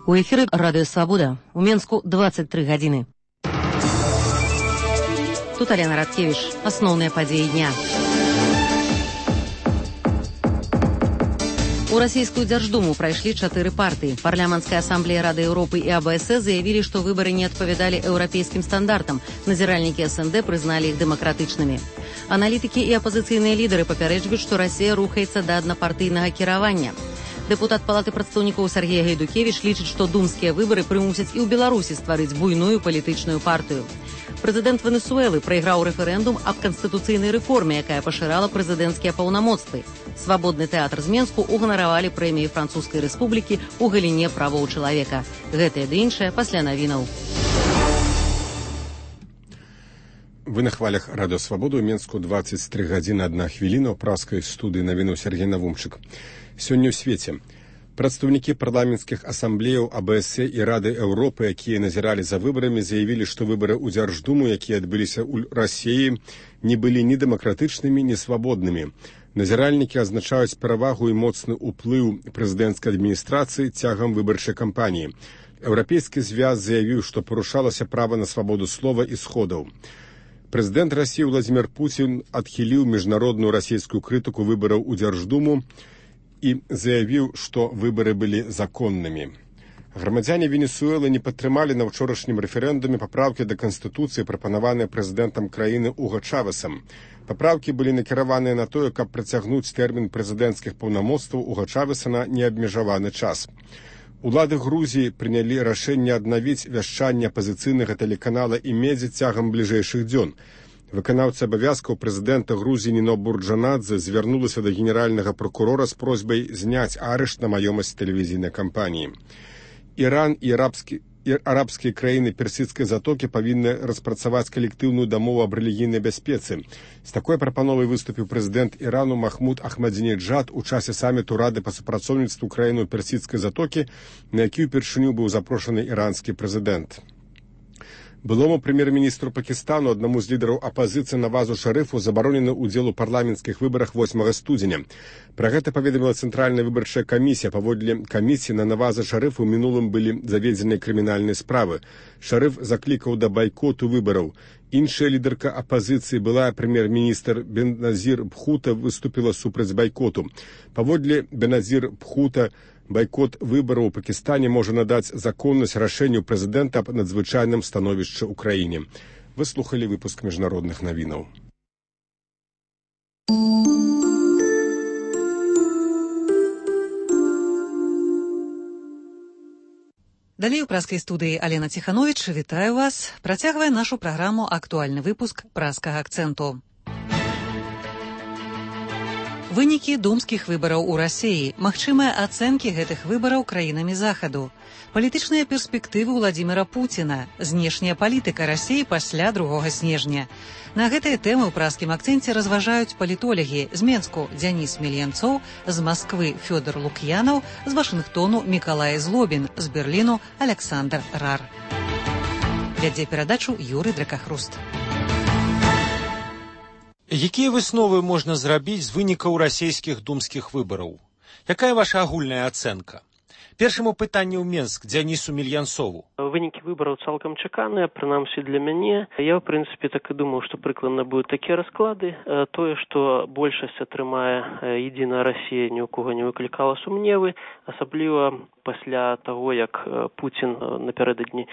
У эфіры Радыё Свабода. У Менску 23 гадзіны. Тут Алена Радкевіч. Асноўныя падзеі дня. У расійскую Дзярждуму прайшлі 4 партыі. Парламенцкая асамблея Рады Еўропы і АБС заявілі, што выбары не адпавядалі еўрапейскім стандартам. Назіральнікі СНД прызналі іх дэмакратычнымі. Аналітыкі і апазіцыйныя лідары папярэджваюць, што Расія рухаецца да аднапартыйнага кіравання. Дэпутат Палаты прадстаўнікоў Сергей Гайдукевіч лічыць, што думскія выбары прымусяць і ў Беларусі стварыць буйную палітычную партыю. Прэзідэнт Венесуэлы прайграў рэферэндум аб канстытуцыйнай рэформе, якая пашырала прэзідэнцкія паўнамоцтвы. Свабодны тэатр з Менску уганаравалі прэміі Французскай рэспублікі ў галіне правоў чалавека. Гэтае ды іншае пасля навінаў. Вы на хвалях Радыё Свабоду. У Менску 23 гадзіны 1 хвіліна. У праскай студыі навіну Сергей Навумчык. Сёння ў свеце прадстаўнікі парламенцкіх асамблеяў АБС і Рады Еўропы, якія назіралі за выбарамі, заявілі, што выбары ў Дзярждуму, якія адбыліся ў Расіі, не былі ні дэмакратычнымі, ні свабоднымі. Назіральнікі азначаюць перавагу і моцны ўплыў прэзідэнцкай адміністрацыі цягам выбарчай кампаніі. Еўрапейскі звяз заявіў, што парушалася права на свабоду слова і сходаў. Прэзідэнт Расіі Владзімір Пуцін адхіліў міжнародную расійскую крытыку выбараў у Дзярждуму і заявіў, што выбары былі законнымі. Грамадзяне Венесуэлы не падтрымалі на ўчорашнім рэферэндуме папраўкі да Канстытуцыі, прапанаваныя прэзідэнтам краіны Уго Чавесам. Папраўкі былі накіраваныя на тое, каб працягнуць тэрмін прэзідэнцкіх паўнамоцтваў Уго Чавеса на неабмежаваны час. Улады Грузіі прынялі рашэнне аднавіць вяшчанне апазіцыйнага тэлеканала «Имедзі» цягам бліжэйшых дзён. Выканаўца абавязкаў прэзідэнта Грузіі Ніно Бурджанадзе звярнулася да генеральнага прокурора з просьбай зняць арышт на маёмасць тэлевізійнай кампаніі. Іран і арабскія краіны персідскай затокі павінны распрацаваць калектыўную дамову аб рэлігійнай бяспецы. З такой прапановай выступіў прэзідэнт Ірану Махмуд Ахмадзінеджад у часе саміту Рады па супрацоўніцтву краіну персідскай затокі, на які ўпершыню быў запрошаны іранскі прэзідэнт. Былому прэм'ер-міністру Пакістану, аднаму з лідараў апазіцыі Навазу Шарыфу, забаронены ўдзел у парламенцкіх выбарах 8 студзеня. Пра гэта паведаміла Цэнтральная выбарчая камісія. Паводле камісіі на Наваза Шарыфу ў мінулым былі заведзеныя крымінальныя справы. Шарыф заклікаў да байкоту выбараў. Іншая лідарка апазіцыі, былая прэм'ер-міністр Беназір Бхута, выступіла супраць байкоту. Паводле Беназір Бхута, байкот выбараў у Пакістане можа надаць законнасць рашэнню прэзідэнта аб надзвычайным становішчы ў краіне. Вы слухалі выпуск міжнародных навінаў. Далей у праскай студыі Алена Ціхановіч. Вітаю вас. Працягвае нашу праграму актуальны выпуск праскага акцэнту. Вынікі думскіх выбараў у Расіі, магчымыя ацэнкі гэтых выбараў краінамі Захаду, палітычныя перспектывы Владзіміра Пуціна, знешняя палітыка Расіі пасля 2 снежня. На гэтыя тэмы ў праскім акцэнце разважаюць палітолагі з Менску Дзяніс Мельянцоў, з Масквы Фёдор Лук'янаў, з Вашынгтону Мікалай Злобін, з Берліну Александр Рар. Вядзе перадачу Юрый Дракахруст. Якія высновы можна зрабіць з вынікаў расійскіх думскіх выбараў? Якая ваша агульная ацэнка? Першаму пытанню ў Менск Дзянісу Мельянцову. Вынікі выбараў цалкам чаканыя, прынамсі для мяне. Я, ў прынцыпе, так і думаў, што прыкладна будуць такія расклады. Тое, што большасць атрымае «Единая Расія», ні ў кого не выклікала сумневы, асабліва пасля таго, як Пуцін напярэдадні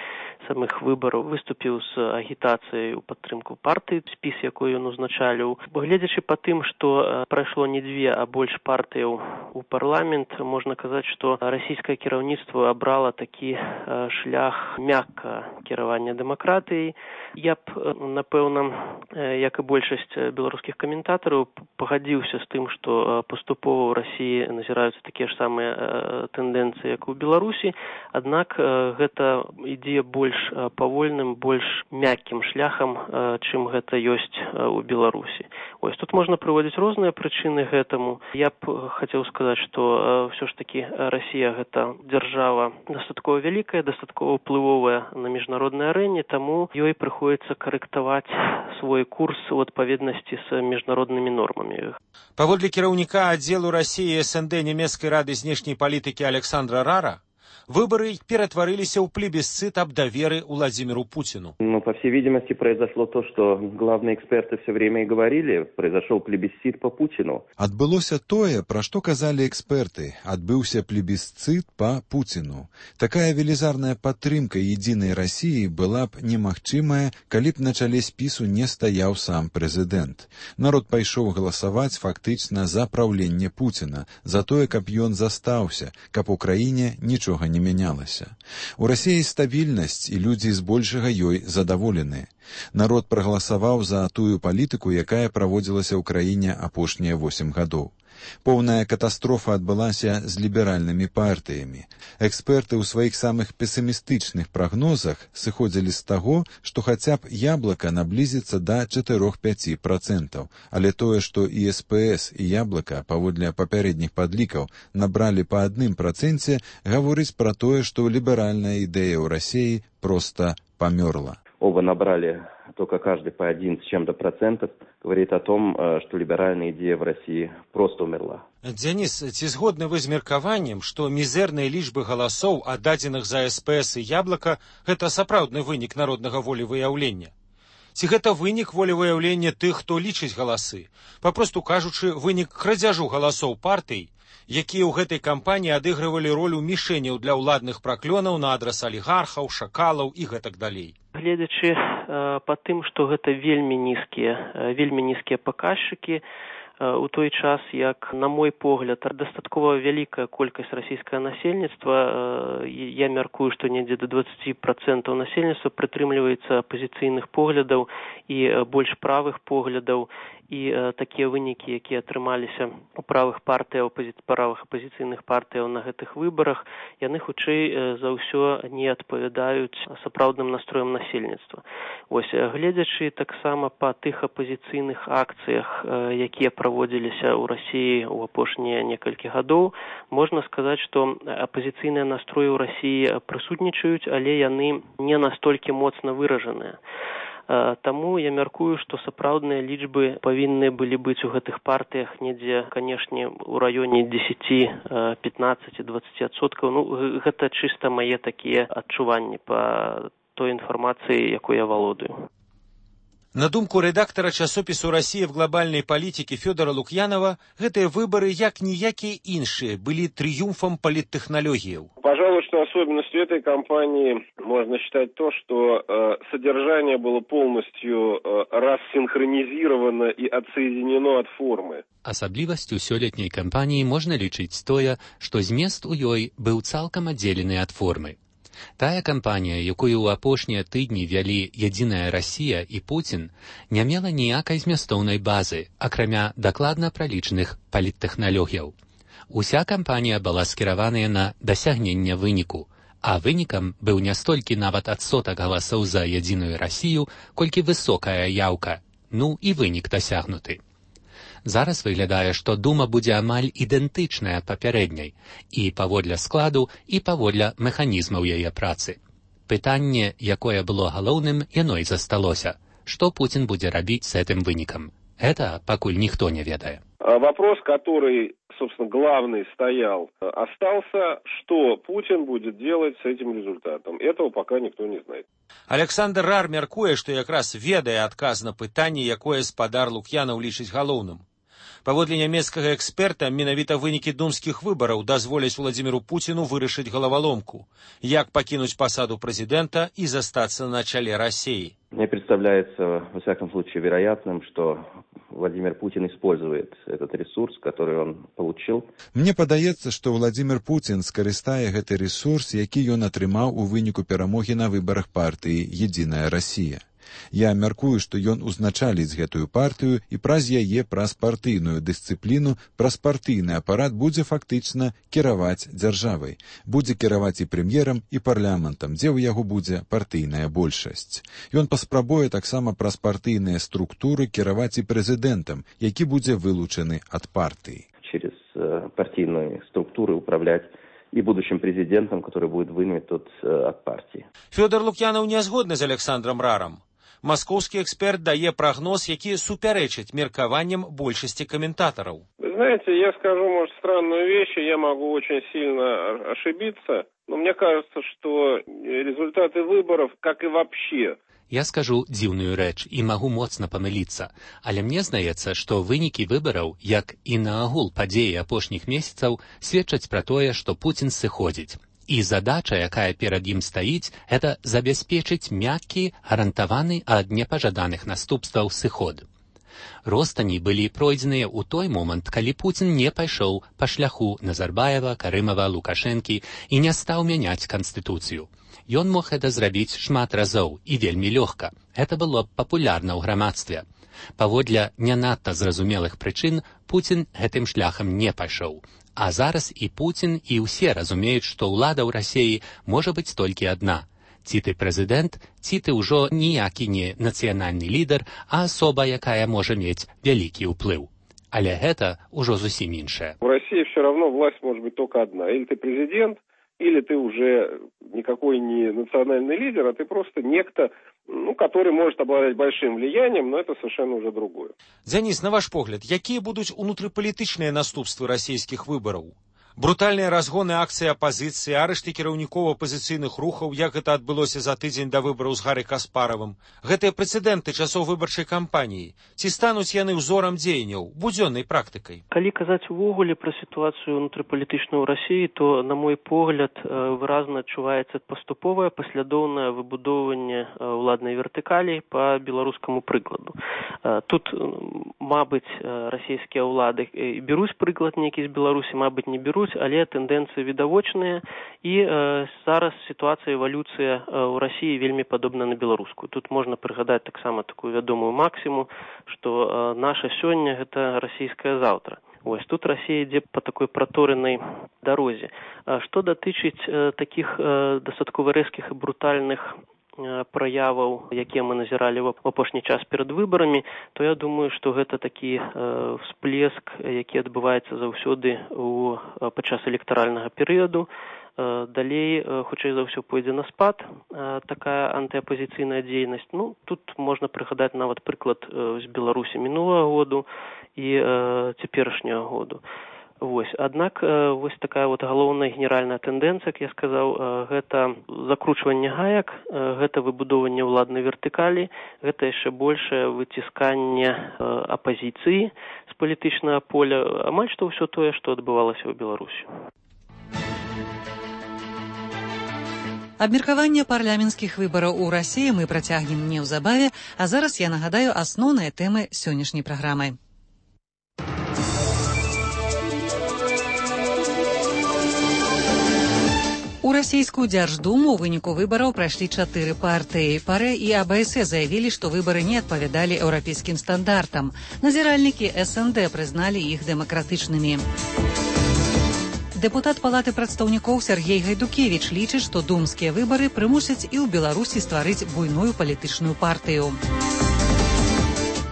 самых выбараў выступіў з агітацыяй у падтрымку партыі, спіс, якой ён узначаліў. Гледзячы па тым, што прайшло не 2, а больш партыяў у парламент, можна казаць, што расійскае кіраўніцтва абрала такі шлях мякка кіравання дэмакратыяй. Я б, напэўна, як і большасць беларускіх каментатараў, пагадзіўся з тым, што паступова ў Расіі назіраюцца такія ж самыя тэндэнцыі, як у Беларусі, аднак гэта ідзе больш павольным, больш мяккім шляхам, чым гэта ёсць у Беларусі. Тут можна прыводзіць розныя прычыны гэтаму. Я б хацеў сказаць, што ўсё ж такі Расія гэта дзяржава дастаткова вялікая, дастаткова ўплывовая на міжнароднай арэне, таму ёй прыходзіцца карэктаваць свой курс у адпаведнасці з міжнароднымі нормамі. Паводле кіраўніка аддзелу Расіі СНД нямецкай рады знешняй палітыкі Александра Рара, Выборы ператварыліся ў плебисцит аб даверы Владимиру Путину. По всей видимости, произошло то, что главные эксперты все время и говорили. Произошел плебисцит по Путину. Адбылося тое, пра што казалі эксперты. Адбыўся плебисцит по Путину. Такая велізарная падтрымка единой России была б немагчымая, калі б на чале спісу не стаяў сам прэзідэнт. Народ пайшоў галасаваць фактычна за праўленне Путина, за тое, каб ён застаўся, каб у краіне нічога не мянялася. У Расіі стабільнасць, і людзі збольшага ёй задаволеныя. Народ прагаласаваў за тую палітыку, якая праводзілася ў краіне апошнія 8 гадоў. Поўная катастрофа адбылася з ліберальнымі партыямі. Эксперты ў сваіх самых песімістычных прагнозах сыходзілі з таго, што хаця б яблыка наблізіцца да 4-5%, але тое, што і СПС, і яблыка, паводле папярэдніх падлікаў, набралі па 1%, гаворыць пра тое, што ліберальная ідэя ў Расіі проста памёрла. Оба набрали только каждый по 1 с чем-то процентов, говорит о том, что либеральная идея в России просто умерла. Денис, ці згодны вы з меркаваннем, што мізэрныя лічбы галасоў, аддадзеных за СПС і яблыка, гэта сапраўдны вынік народнага волевыяўлення? Ці гэта вынік волевыяўлення тых, хто лічыць галасы? Папросту кажучы, вынік крадзяжу галасоў партый, якія ў гэтай кампаніі адыгрывалі ролю мішэняў для ўладных праклёнаў на адрас алігархаў, шакалаў і гэтак далей. Гледзячы па тым, што гэта вельмі нізкія паказчыкі, у той час, як, на мой погляд, дастаткова вялікая колькасць расійскага насельніцтва, я мяркую, што недзе до 20% насельніцтва прытрымліваецца апазіцыйных поглядаў і больш правых поглядаў, і такія вынікі, якія атрымаліся у правых апазіцыйных партыяў на гэтых выбарах, яны хутчэй за ўсё не адпавядаюць сапраўдным настроям насельніцтва. Вось, гледзячы таксама па тых апазіцыйных акцыях, якія праводзіліся ў Расіі ў апошнія некалькі гадоў, можна сказаць, што апазіцыйныя настроі ў Расіі прысутнічаюць, але яны не настолькі моцна выражаныя. Таму я мяркую, што сапраўдныя лічбы павінны былі быць у гэтых партыях недзе, канешне, у раёне 10, 15, 20%. Гэта чыста мае такія адчуванні па той інфармацыі, якой я валодаю. На думку редактора часопису «Россия в глобальной политике» Федора Лукьянова, гэтыя выборы, як ніякія іншыя, были триумфом политтехнологий. Пожалуй, что особенностью этой кампании можно считать то, что содержание было полностью рассинхронизировано и отсоединено от формы. Асаблівасцю сёлетняй кампаніі можна лічыць тое, што змест у ёй быў цалкам аддзелены ад формы. Тая кампанія, якую ў апошнія тыдні вялі «Единая Россия» і Путін, не мела ніякай змястоўнай базы, акрамя дакладна пралічаных паліттэхналогіяў. Уся кампанія была скіраваная на дасягнення выніку, а вынікам быў не столькі нават адсотак галасоў за «Единую Россию», колькі высокая яўка, і вынік дасягнуты. Зараз выглядае, што дума будзе амаль ідэнтычная папярэдняй і паводле складу, і паводле механізмаў яе працы. Пытанне, якое было галоўным, яно і засталося. Што Путін будзе рабіць з гэтым вынікам? Гэта пакуль ніхто не ведае. Вопрос, который, собственно, главный стоял, остался, что Путин будет делать с этим результатом. Этого пока никто не знает. Александр Рар мяркуе, што якраз ведае адказ на пытанне, якое спадар Лукьянаў лічыць галоўным. Паводле нямецкага эксперта, менавіта вынікі думскіх выбараў дазволяць Владимиру Путину вырашыць галаваломку, як пакінуць пасаду прэзідэнта і застацца на чале России. Мне представляется, во всяком случае, вероятным, что Владимир Путин использует этот ресурс, который он получил. Мне падаецца, што Владимир Путин скарыстае гэты ресурс, які ён атрымаў у выніку перамогі на выбарах партыі «Единая Россия». Я мяркую, што ён узначаліць гэтую партыю і праз яе, праз партыйную дысцыпліну, праз партыйны апарат будзе фактычна кіраваць дзяржавай. Будзе кіраваць і прэм'ерам, і парламентам, дзе ў яго будзе партыйная большасць. Ён паспрабуе таксама праз партыйныя структуры кіраваць і прэзідэнтам, які будзе вылучаны ад партыі. Через партийные структуры управлять и будущим президентом, который будет вынут от партии. Федор Лукьянов не згодны з Александром Раром. Московский эксперт дае прогноз, які супярэчыць меркаванням большасці комментаторов. Вы знаете, я скажу, может, странную вещь, и я могу очень сильно ошибиться, Но мне кажется, что результаты выборов, как и вообще... Я скажу дзіўную рэч і магу моцна памыліцца, але мне здаецца, што вынікі выбараў, як і наогул падзеі апошніх месяцаў, сведчаць пра тое, што Пуцін сыходзіць. І задача, якая перад ім стаіць, гэта забяспечыць мяккі, гарантаваны ад непажаданых наступстваў сыход. Ростані былі пройдзеныя ў той момант, калі Пуцін не пайшоў па шляху Назарбаева, Карымава, Лукашэнкі і не стаў мяняць канстытуцыю. Ён мог гэта зрабіць шмат разоў і вельмі лёгка. Гэта было папулярна ў грамадстве. Паводле не надта зразумелых прычын Пуцін гэтым шляхам не пайшоў. А зараз і Пуцін, і ўсе разумеюць, што ўлада ў Расіі можа быць толькі адна. Ці ты прэзідэнт, ці ты ўжо ніякі не нацыянальны лідар, а асоба, якая можа мець вялікі ўплыў. Але гэта ўжо зусім іншае. В России все равно власть может быть только одна. Или ты президент, или ты уже никакой не национальный лидер, а ты просто некто, который может обладать большим влиянием, но это совершенно уже другое. Дзяніс, на ваш погляд, якія будуць унутрыпалітычныя наступствы расійскіх выбараў? Брутальныя разгоны акцыі апазіцыі, арышты кіраўнікоў апазіцыйных рухаў, як гэта адбылося за тыдзень да выбараў з Гарри Каспаравым. Гэтыя прэцэдэнты часоў выбарчай кампаніі. Ці стануць яны ўзорам дзеянняў, будзённай практыкай? Калі казаць увогуле пра сітуацыю унутрыпалітычную ў Расіі, то, на мой погляд, выразна адчуваецца паступовае паслядоўнае выбудоўванне ўладнай вертыкалі па беларускаму прыкладу. Тут, мабыць, расійскія ўлады бяруць прыклад нейкі з Беларусі, мабыць, не бяруць, але тэндэнцыі відавочныя, і зараз сітуацыя, эвалюцыя ў Расіі вельмі падобна на беларускую. Тут можна прыгадаць таксама такую вядомую максіму, што наша сёння – гэта расійскае заўтра. Вось тут Расія ідзе па такой праторанай дарозе. Што датычыць такіх дастаткова рэзкіх і брутальных праяваў, якія мы назіралі ў апошні час перад выбарамі, то я думаю, што гэта такі всплеск, які адбываецца заўсёды падчас электаральнага перыяду. Далей, хутчэй за ўсё, пойдзе на спад такая антыапазіцыйная дзейнасць. Тут можна прыгадаць нават прыклад з Беларусі мінулага году і цяперашняга году. Аднак вось такая галоўная генеральная тэндэнцыя, як я сказаў, гэта закручванне гаек, гэта выбудоўванне ўладнай вертыкалі, гэта яшчэ большае выцісканне апазіцыі з палітычнага поля, амаль што ўсё тое, што адбывалася ў Беларусі. Абмеркаванне парламенцкіх выбараў у Расіі мы працягнем неўзабаве, а зараз я нагадаю асноўныя тэмы сённяшняй праграмы. У расійскую Дзярждуму ў выніку выбараў прайшлі 4 партыі. ПАРЭ і АБС заявілі, што выбары не адпавядалі еўрапейскім стандартам. Назіральнікі СНД прызналі іх дэмакратычнымі. Дэпутат Палаты прадстаўнікоў Сергей Гайдукевіч лічыць, што думскія выбары прымусяць і ў Беларусі стварыць буйную палітычную партыю.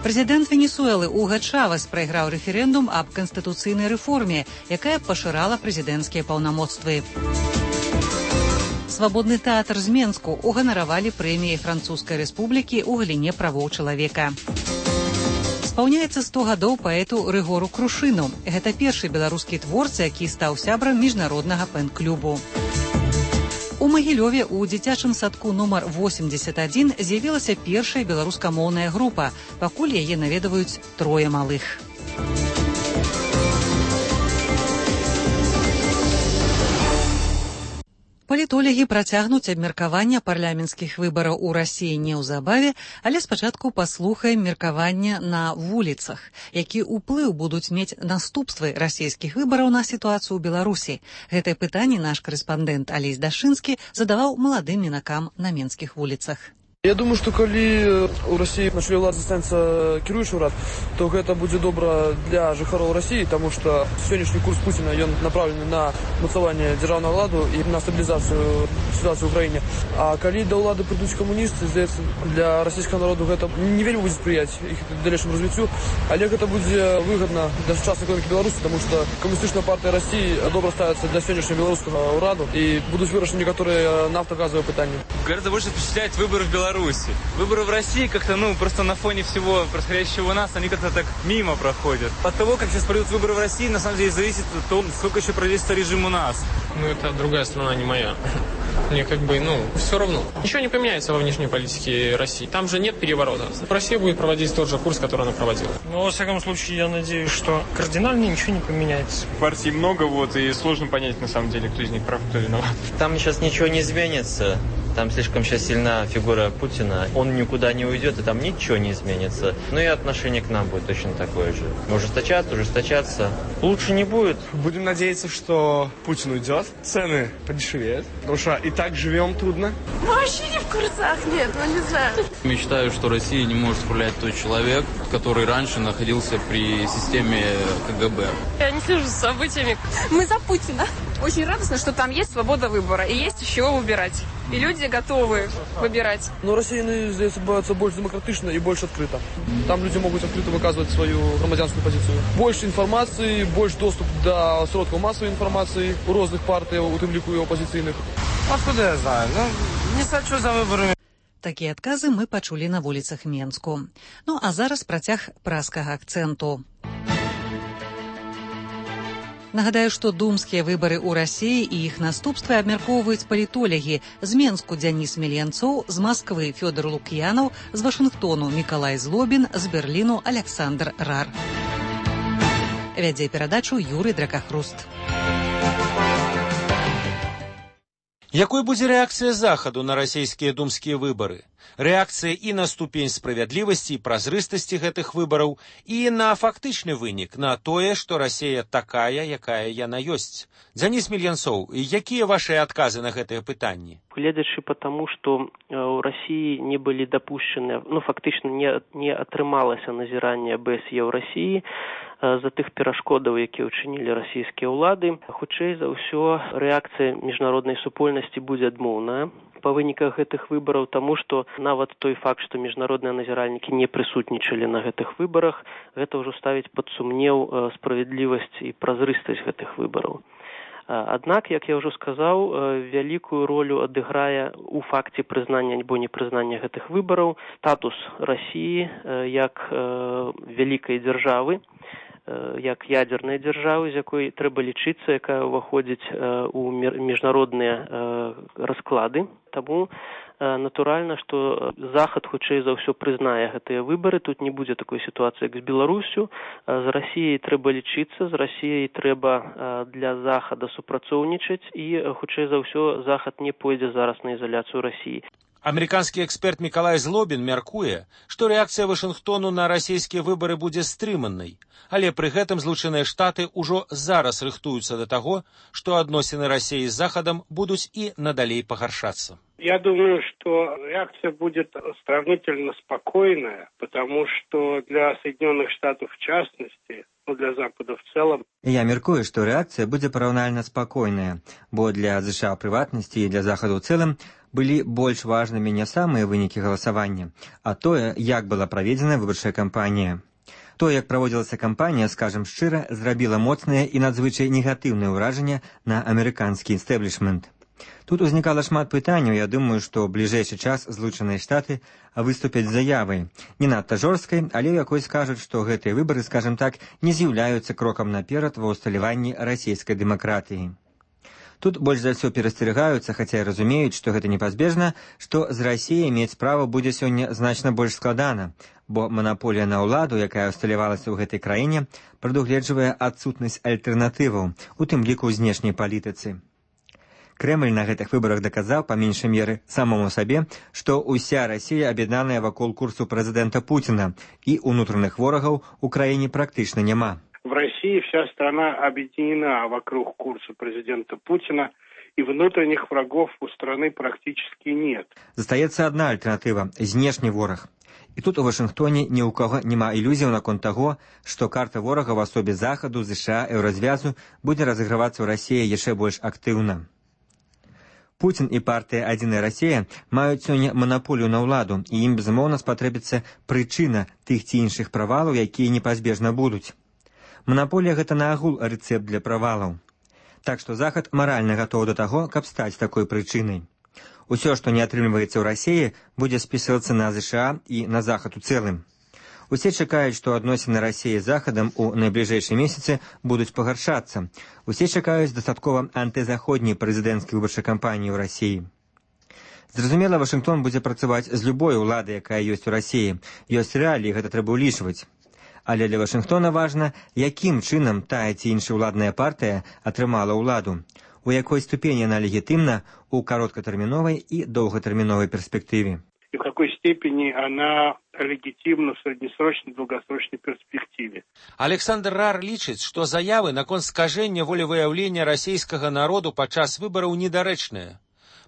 Прэзідэнт Венесуэлы Уга Чавес прайграў рэферэндум аб канстытуцыйнай рэформе, якая пашырала прэзідэнцкія паўнамоцтвы. Свабодны тэатр з Менску уганаравалі прэміяй Французскай рэспублікі ў галіне правоў чалавека. Спаўняецца 100 гадоў паэту Рыгору Крушыну. Гэта першы беларускі творца, які стаў сябрам міжнароднага пэн-клубу. У Магілёве ў дзіцячым садку нумар 81 з'явілася першая беларускамоўная група. Пакуль яе наведваюць 3 малых. Палітолагі працягнуць абмеркаванне парламенцкіх выбараў у Расіі неўзабаве, але спачатку паслухаем меркаванне на вуліцах. Які ўплыў будуць мець наступствы расійскіх выбараў на сітуацыю ў Беларусі? Гэтае пытанне наш карэспандэнт Алесь Дашынскі задаваў маладым мінакам на менскіх вуліцах. Я думаю, што калі ў Расіі на чале ўлады застанецца кіруючы ўрад, то гэта будзе добра для жыхароў Расіі, таму што сённяшні курс Пуціна ён направлены на мацаванне дзяржаўнага ладу і на стабілізацыю сітуацыі ў краіне. А калі да ўлады прыйдуць камуністы, здаецца, для расійскага народу гэта не вельмі будзе спрыяць іх далейшаму развіццю, але гэта будзе выгадна для сучаснай эканомікі Беларусі, таму што камуністычная партыя Расіі добра ставіцца для сённяшняга беларускага ўраду і будуць вырашаны некаторыя нафтагазавыя пытанні. Гораздо больше впечатляет выборы в Беларуси Беларуси. Выборы в России как-то, просто на фоне всего происходящего у нас, они как-то так мимо проходят. От того, как сейчас пройдут выборы в России, на самом деле зависит от того, сколько еще продержится режим у нас. Это другая страна, не моя. Мне все равно. Ничего не поменяется во внешней политике России. Там же нет переворота. Россия будет проводить тот же курс, который она проводила. Во всяком случае, я надеюсь, что кардинально ничего не поменяется. Партий много, и сложно понять, на самом деле, кто из них прав, кто виноват. Там сейчас ничего не изменится. Там слишком сейчас сильна фигура Путина. Он никуда не уйдет, и там ничего не изменится. И отношение к нам будет точно такое же. Ужесточаться. Лучше не будет. Будем надеяться, что Путин уйдет, цены подешевеют, потому что и так живем трудно. Вообще не в курсах, нет, не знаю. Мечтаю, что Россия не может управлять тот человек, который раньше находился при системе КГБ. Я не слежу за событиями. Мы за Путина. Очень радостно, что там есть свобода выбора и есть из чего выбирать. И люди готовы выбирать. Но россияне здесь боятся больше демократично и больше открыто. Там люди могут открыто выказывать свою громадянскую позицию. Больше информации, больше доступ до сродков массовой информации у разных партий, у тым ліку і опозиційних. Откуда я знаю? Не сачу за выборами. Такія адказы мы пачулі на вуліцах Менску. А зараз працяг праскага акцэнту. Нагадаю, што думскія выбары ў Расіі і іх наступствы абмяркоўваюць палітолягі. З Менску Дзяніс Мельянцоў, з Масквы Фёдор Лук'янаў, з Вашынгтону Мікалай Злобін, з Берліну Александр Рар. Вядзе перадачу Юрый Дракахруст. Якой будзе рэакцыя Захаду на расійскія думскія выбары? Рэакцыя і на ступень справядлівасці і празрыстасці гэтых выбараў, і на фактычны вынік, на тое, што Расія такая, якая яна ёсць. Дзяніс Мельянцоў, якія вашыя адказы на гэтыя пытанні? Гледзячы по тому, што ў Расіі не былі дапушчаны, фактычна не атрымалася назіранне АБСЕ ў Расіі, за тых перашкодаў, якія ўчынілі расійскія ўлады, хутчэй за ўсё рэакцыя міжнароднай супольнасці будзе адмоўная па выніках гэтых выбараў, таму што нават той факт, што міжнародныя назіральнікі не прысутнічалі на гэтых выбарах, гэта ўжо ставіць пад сумнеў справядлівасць і празрыстасць гэтых выбараў. Аднак, як я ўжо сказаў, вялікую ролю адыграе ў факце прызнання альбо непрызнання гэтых выбараў статус Расіі як вялікай дзяржавы, як ядзернай дзяржавы, з якой трэба лічыцца, якая ўваходзіць у міжнародныя расклады. Таму натуральна, што Захад хутчэй за ўсё прызнае гэтыя выбары. Тут не будзе такой сітуацыі, як з Беларусю. З Расіяй трэба лічыцца, з Расіяй трэба для Захада супрацоўнічаць, і хутчэй за ўсё Захад не пойдзе зараз на ізаляцыю Расіі. Амерыканскі эксперт Мікалай Злобін мяркуе, што рэакцыя Вашынгтону на расійскія выбары будзе стрыманнай, але пры гэтым Злучаныя Штаты ўжо зараз рыхтуюцца да таго, што адносіны Расіі з Захадам будуць і надалей пагаршацца. Я думаю, что реакция будет сравнительно спокойная, потому что для Соединенных Штатов в частности, для Запада в целом. Я мяркую, што рэакцыя будзе параўнальна спакойная, бо для США ў прыватнасці і для Захаду ў цэлым былі больш важнымі не самыя вынікі галасавання, а тое, як была праведзена выбарчая кампанія. То, як праводзілася кампанія, скажам шчыра, зрабіла моцнае і надзвычай негатыўнае ўражанне на амерыканскі істэблішмент. Тут узнікала шмат пытанняў, я думаю, што ў бліжэйшы час Злучаныя Штаты выступяць з заявай. Не надта жорсткай, але ў якой скажуць, што гэтыя выбары, скажам так, не з'яўляюцца крокам наперад ва ўсталяванні расійскай дэмакратыі. Тут больш за ўсё перасцерагаюцца, хаця і разумеюць, што гэта непазбежна, што з Расіяй мець справу будзе сёння значна больш складана, бо манаполія на ўладу, якая ўсталявалася ў гэтай краіне, прадугледжвае адсутнасць альтэрнатываў, у тым ліку ў знешняй палітыцы. Крэмль на гэтых выбарах даказаў, па меншай меры, самому сабе, што ўся Расія аб'яднаная вакол курсу прэзідэнта Путіна, і ўнутраных ворагаў у краіне практычна няма. В России вся страна объединена вокруг курса президента Путина, и внутренних врагов у страны практически нет. Застаецца адна альтэрнатыва – знешні вораг. І тут у Вашынгтоне ні ў каго няма ілюзіяў наконт таго, што карта ворага ў асобе Захаду, ЗША, еўразвязу будзе разыгрывацца ў Расіі яшчэ больш актыўна. Путін і партыя «Адзіная Расія» маюць сёння манаполію на ўладу, і ім, безумоўна, спатрэбіцца прычына тых ці іншых правалаў, якія непазбежна будуць. Манаполія – гэта наогул рэцэпт для правалаў. Так што Захад маральна гатовы да таго, каб стаць такой прычынай. Усё, што не атрымліваецца ў Расіі, будзе спісвацца на ЗША і на Захад у цэлым. Усе чакаюць, што адносіны Расіі з Захадам у найбліжэйшыя месяцы будуць пагаршацца. Усе чакаюць дастаткова антызаходняй прэзідэнцкай выбарчай кампаніі ў Расіі. Зразумела, Вашынгтон будзе працаваць з любой уладай, якая ёсць у Расіі. Ёсць рэаліі, гэта трэба ўлічваць. Але для Вашынгтона важна, якім чынам тая ці іншая ўладная партыя атрымала ўладу, у якой ступені яна легітымна ў кароткатэрміновай і доўгатэрміновай перспектыве. И в какой степени она легитимна в среднесрочной и долгосрочной перспективе. Александр Рар лічыць, што заявы наконт скажэння волевыяўлення расійскага народу падчас выбараў недарэчныя.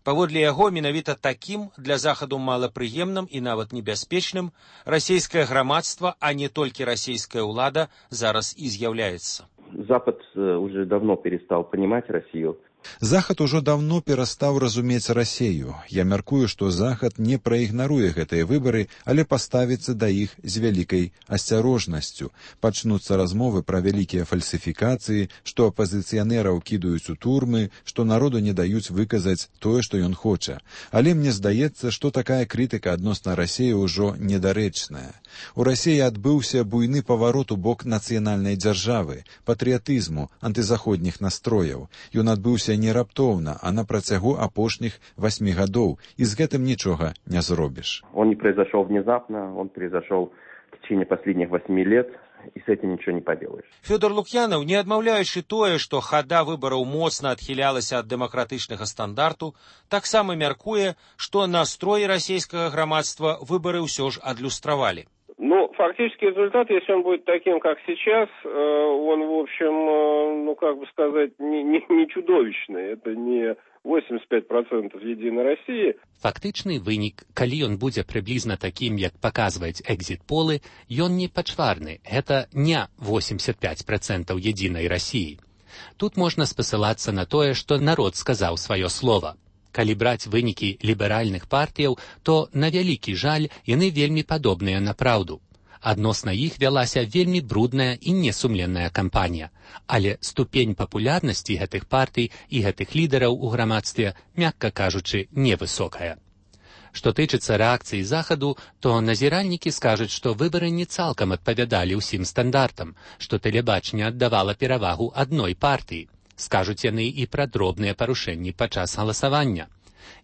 Паводле яго, менавіта такім для Захаду малапрыемным і нават небяспечным расійскае грамадства, а не толькі расійская ўлада, зараз і з'яўляецца. Запад уже давно перестал понимать Россию. Захад ужо даўно перастаў разумець Расею. Я мяркую, што Захад не праігнаруе гэтыя выбары, але паставіцца да іх з вялікай асцярожнасцю. Пачнуцца размовы пра вялікія фальсіфікацыі, што апазіцыянераў кідаюць у турмы, што народу не даюць выказаць тое, што ён хоча. Але мне здаецца, што такая крытыка адносна Расеі ўжо недарэчная. У Расеі адбыўся буйны паварот у бок нацыянальнай дзяржавы, патрыятызму, антызаходніх настрояў. Ён адбыўся не раптоўна, а на працягу апошніх 8 гадоў, і з гэтым нічога не зробіш. Он не произошел внезапно, он произошел в течение последних 8 лет, и с этим ничего не поделаешь. Фёдор Лукьянов, не адмаўляючы тое, што хада выбараў моцна адхілялася ад дэмакратычнага стандарту, таксама мяркуе, што настроі расійскага грамадства выбары ўсё ж адлюстравалі. Ну, фактически результат, если он будет таким, как сейчас, он, в общем, ну, как бы сказать, не чудовищный. Это не 85% Единой России. Фактычны вынік, калі ён будзе прыблізна такім, як паказваюць экзіт-полы, ён не пачварны. Гэта не 85% Единой России. Тут можна спасылацца на тое, што народ сказаў сваё слова. Калі браць вынікі ліберальных партыяў, то, на вялікі жаль, яны вельмі падобныя на праўду. Адносна іх вялася вельмі брудная і несумленная кампанія. Але ступень папулярнасці гэтых партый і гэтых лідараў у грамадстве, мякка кажучы, невысокая. Што тычыцца рэакцыі Захаду, то назіральнікі скажуць, што выбары не цалкам адпавядалі ўсім стандартам, што тэлебачанне аддавала перавагу адной партыі. Скажуць яны і пра дробныя парушэнні падчас галасавання.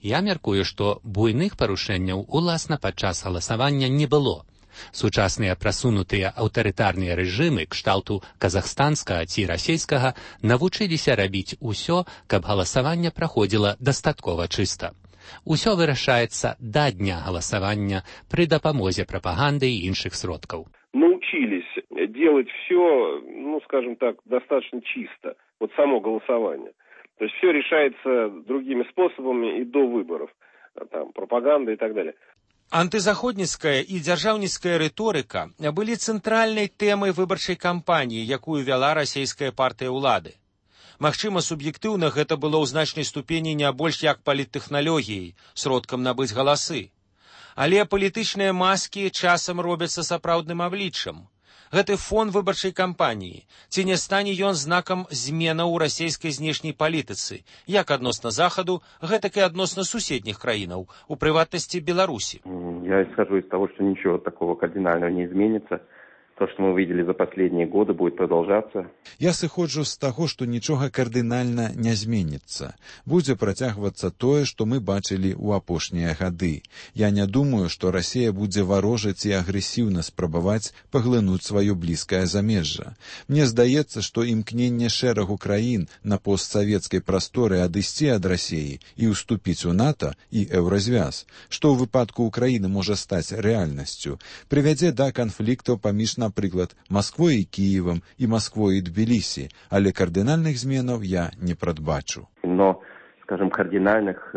Я мяркую, што буйных парушэнняў уласна падчас галасавання не было. Сучасныя прасунутыя аўтарытарныя рэжымы кшталту казахстанскага ці расійскага навучыліся рабіць усё, каб галасаванне праходзіла дастаткова чыста. Усё вырашаецца да дня галасавання пры дапамозе прапаганды і іншых сродкаў. Научились делать все, ну, скажем так, достаточно чисто. Вот само голосование. То есть все решается другими способами и до выборов. Там, пропаганда и так далее. Антызаходніцкая і дзяржаўніцкая рыторыка былі цэнтральнай тэмай выбарчай кампаніі, якую вяла расійская партыя ўлады. Магчыма, суб'ектыўна гэта было ў значнай ступені не больш як паліттэхналогіяй, сродкам набыць галасы. Але палітычныя маскі часам робяцца сапраўдным абліччам. Гэты фон выбарчай кампаніі. Ці не стане ён знакам зменаў у расійскай знешняй палітыцы, як адносна Захаду, гэтак і адносна суседніх краінаў, у прыватнасці Беларусі? Я исхожу из того, что ничего такого кардинального не изменится. То, что мы видели за последние годы, будет продолжаться. Я сыходжу з таго, што нічога кардынальна не зменіцца. Будзе працягвацца тое, што мы бачылі ў апошнія гады. Я не думаю, што Расія будзе варожаць і агрэсіўна спрабаваць паглынуць сваё блізкае замежжа. Мне здаецца, што імкненне шэрагу краін на постсавецкай прасторы адысці ад Расіі і ўступіць у НАТО і еўразвяз, што ў выпадку Украіны можа стаць рэальнасцю, прывядзе да канфліктаў паміж, напрыклад, Масквой і Кіевам і Масквой і Тбілісі, але кардынальных зменаў я не прадбачу. Но, скажем, кардинальных,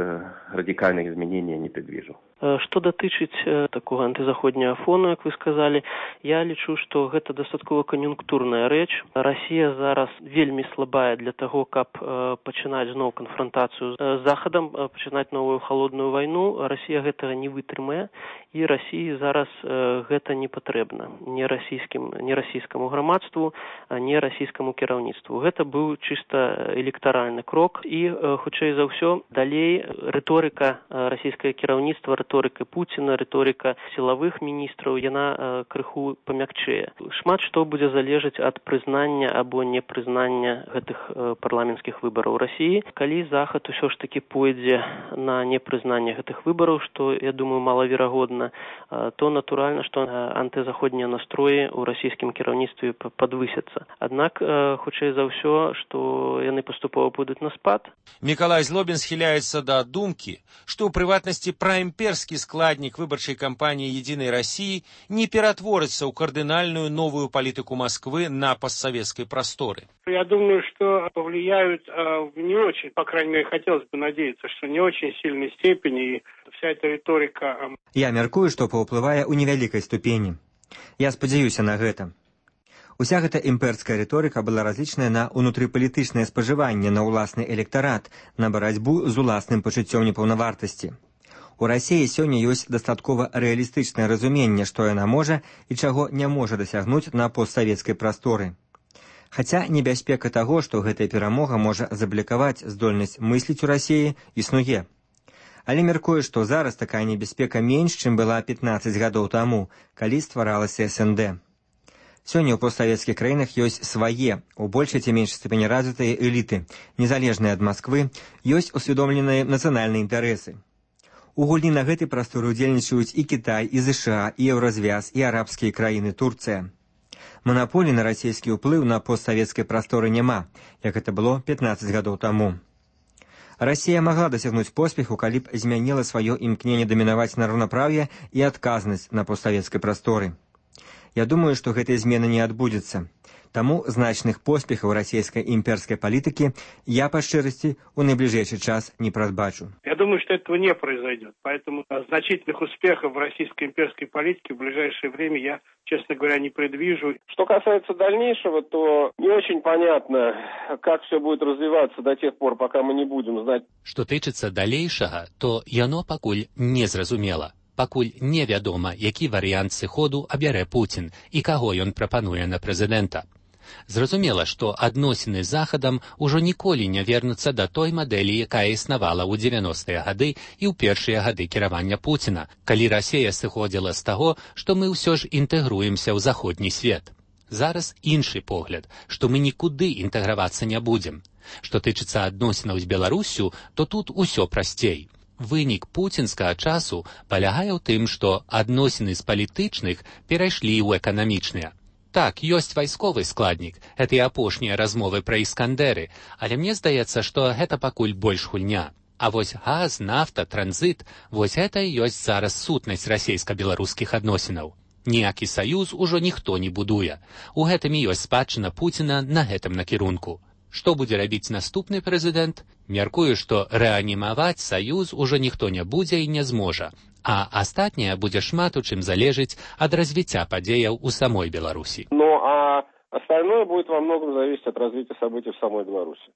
радикальных изменений не предвижу. Што датычыць такога антызаходняга фону, як вы сказалі, я лічу, што гэта дастаткова кан'юнктурная рэч. Расія зараз вельмі слабая для таго, каб пачынаць зноў канфрантацыю з Захадам, пачынаць новую халодную вайну. Расія гэтага не вытрымае, і Расіі зараз гэта не патрэбна не расійскаму грамадству, не расійскаму кіраўніцтву. Гэта быў чыста электаральны крок і хутчэй за ўсё далей рыторыка расійскае кіраўніцтва, рыторыка Пуціна, рыторыка сілавых міністраў, яна крыху памякчэе. Шмат што будзе залежаць ад прызнання або непрызнання гэтых парламенцкіх выбараў у Расіі. Калі Захад усё ж такі пойдзе на непрызнанне гэтых выбараў, што, я думаю, малаверагодна, то натуральна, што антызаходнія настроі ў расійскім кіраўніцтве падвысяцца. Аднак, хутчэй за ўсё, што яны паступова будуць на спад. Мікалай Злобін схіляецца да думкі, што ў прыватнасці праімперскі складнік выбарчай кампаніі «Единой России» не ператворыцца ў кардынальную новую палітыку Москвы на постсоветской просторы. Я думаю, что повлияют не очень, по крайней мере, хотелось бы надеяться, что не очень сильной степени, и вся эта риторика... Я мяркую, што паўплывае ў невялікай ступені. Я спадзяюся на гэта. Уся гэта імперская рыторыка была разлічная на ўнутрыпалітычнае спажыванне, на ўласны электарат, на барацьбу з уласным пачуццём непаўнавартасці. У Расіі сёння ёсць дастаткова рэалістычнае разуменне, што яна можа і чаго не можа дасягнуць на постсавецкай прасторы. Хаця небяспека таго, што гэтая перамога можа заблікаваць здольнасць мысліць у Расіі, існуе. Але мяркую, што зараз такая небяспека менш, чым была 15 гадоў таму, калі стваралася СНД. Сёння ў постсавецкіх краінах ёсць свае, у большай ці меншай ступені развітыя эліты, незалежныя ад Масквы, ёсць усвядомленыя нацыянальныя інтарэсы. У гульні на гэтай прасторы удзельнічаюць і Кітай, і ЗША, і Еўразвяз, і арабскія краіны, Турцыя. Манаполій на расійскі ўплыў на постсавецкай прасторы няма, як гэта было 15 гадоў таму. Расія магла дасягнуць поспеху, калі б змяніла сваё імкненне дамінаваць на раўнапраўе і адказнасць на постсавецкай прасторы. Я думаю, што гэтай змены не адбудзецца. Таму значных поспехаў расійскай імперскай палітыкі я, па шчырасці, у найбліжэйшы час не прадбачу. Я думаю, что этого не произойдет. Поэтому значительных успехов в российской имперской политике в ближайшее время я, честно говоря, не предвижу. Что касается дальнейшего, то не очень понятно, как все будет развиваться до тех пор, пока мы не будем знать. Што тычыцца далейшага, то яно пакуль не зразумела. Пакуль невядома, які варыянт сыходу абярэ Пуцін і каго ён прапануе на прэзідэнта. Зразумела, што адносіны з Захадам ужо ніколі не вернуцца да той мадэлі, якая існавала ў 90-е гады і ў першыя гады кіравання Пуціна, калі Расія сыходзіла з таго, што мы ўсё ж інтэгруемся ў заходні свет. Зараз іншы погляд, што мы нікуды інтэгравацца не будзем. Што тычыцца адносінаў з Беларуссю, то тут усё прасцей. Вынік пуцінскага часу палягае ў тым, што адносіны з палітычных перайшлі ў эканамічныя. Так, ёсць вайсковы складнік, гэта і апошнія размовы пра іскандеры, але мне здаецца, што гэта пакуль больш гульня. А вось газ, нафта, транзіт, вось гэта і ёсць зараз сутнасць расійска-беларускіх адносінаў. Ніякі саюз ужо ніхто не будуе. У гэтым і ёсць спадчына Пуціна на гэтым накірунку. Што будзе рабіць наступны прэзідэнт? Мяркую, што рэанімаваць саюз ужо ніхто не будзе і не зможа. А астатняе будзе шмат у чым залежыць ад развіцця падзеяў у самой Беларусі. Ну, а остальное будет во многом зависеть от развития событий в самой Беларуси.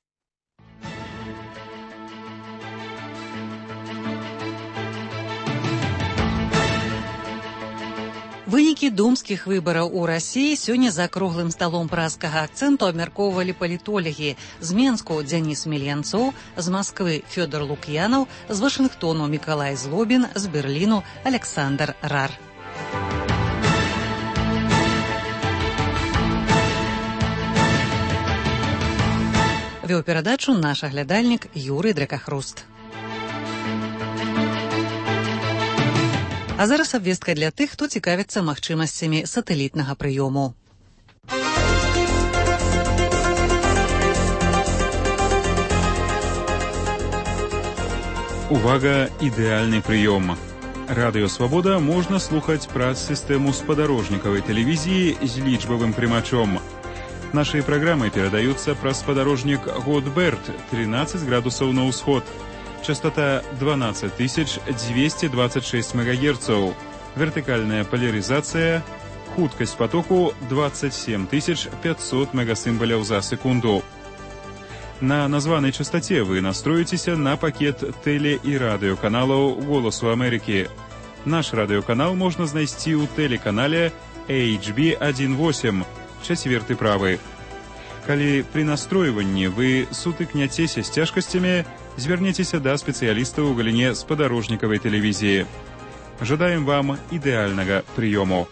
Вынікі думскіх выбараў у Расіі сёння за круглым сталом празкага акцэнту абмяркоўвалі палітолагі. З Менску Дзяніс Мельянцоў, з Масквы Фёдор Лук'янаў, з Вашынгтону Мікалай Злобін, з Берліну Александр Рар. Вёў перадачу наш аглядальнік Юрый Дракахруст. А зараз абвестка для тых, хто цікавіцца магчымасцямі сатэлітнага прыёму. Увага, ідэальны прыём. Радыё Свабода можна слухаць праз сістэму спадарожнікавай тэлевізіі з лічбавым прымачом. Нашыя праграмы перадаюцца праз спадарожнік Годберт, 13 градусаў на ўсход. Частота 12226 МГц, вертыкальная поляризация, хуткасць потоку 27500 мегасімбаляў за секунду. На названай частоце вы настроіцеся на пакет тэле- і радыёканалаў «Голасу Амерыкі». Наш радыёканал можна знайсці ў тэлеканале HB18, 4 правы. Калі пры настройванні вы сутыкняцеся з цяжкасцямі, звярніцеся да спецыялістаў у галіне спадарожнікавай тэлевізіі. Жадаем вам ідэальнага прыёму.